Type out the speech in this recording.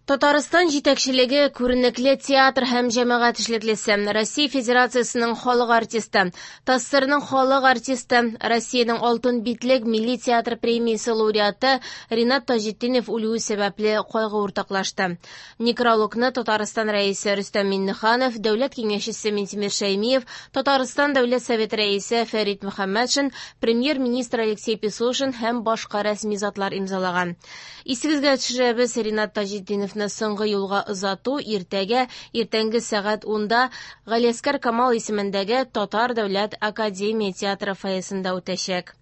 Татарстан җитәкчелеге күренекле театр һәм җәмәгать эшлеклесе, Россия Федерациясенең халык артисты, ТАССРның халык артисты, Россиянең Алтын битлек милли театр премиясе лауреаты Ринат Таҗетдинов үлүе сәбәпле кайгы уртаклашты. Некрологны Татарстан Рәисе Рөстәм Миңнеханов, Дәүләт Киңәшчесе Минтимер Шәймиев, Татарстан Дәүләт Советы Рәисе Фәрит Мөхәммәтшин, Премьер-министр Алексей Песошин һәм башка рәсми затлар имзалаган. Исегезгә төшерәбез, Ринат Таҗетдиновны соңгы юлга озату иртәгә иртәнге сәгать 10-да Галиәсгар Камал исемендәге Татар дәүләт академия театры фойесында үтәчәк.